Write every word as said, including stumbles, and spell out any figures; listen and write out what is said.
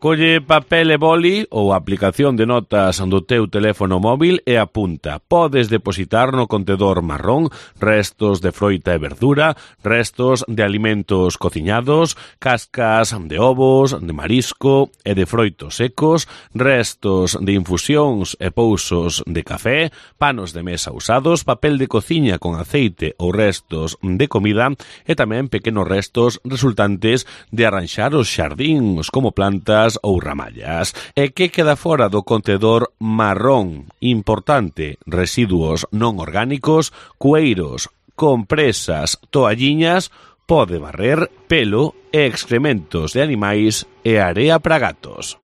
Colle papel e boli ou a aplicación de notas do teu teléfono móvil e apunta. Podes depositar no contedor marrón restos de froita e verdura, restos de alimentos cociñados, cascas de ovos, de marisco e de froitos secos, restos de infusións e pousos de café, panos de mesa usados, papel de cociña con aceite ou restos de comida e tamén pequenos restos resultantes de arranxar os xardíns como plantas ou ramallas. E que queda fora do contedor marrón? Importante, residuos non orgánicos, cueiros, compresas, toalliñas, pó de barrer, pelo e excrementos de animais e area para gatos.